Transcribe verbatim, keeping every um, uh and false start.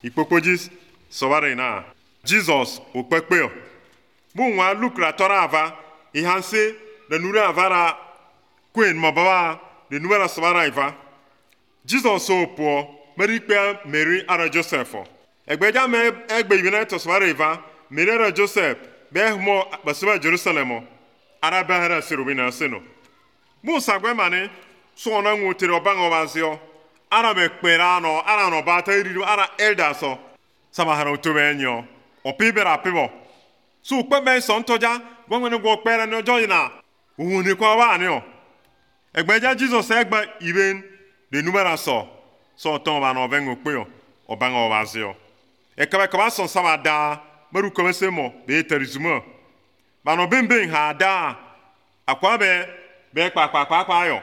Ikpokpojis sọwara na Jesus okpekpe bụ nwa lukra tọrọ ava ihanse na nure avara kwen mababa de numera sọwara iva Jesus opo merikpe Mary ara Joseph egbeja me egbe ibina to sọwara iva Mary ara Joseph be mo basaba Jerusalem ara bahara sirubina seno bụ sagwe mane so na nwotere obango bazio ara me kpera no ara no bata iriru ara elder so samahara otobenyo opibera pibo so pe ben so ntoja gwonwene gwo kpera no joyina ohun kwa wa ni o egbeja Jesus egba iben de numera so so ton ba no vengo pe o obango bazio e kaba kaba so samada maru komesemo be terizuma ba no bemben ha da akwa be be pa pa pa pa yo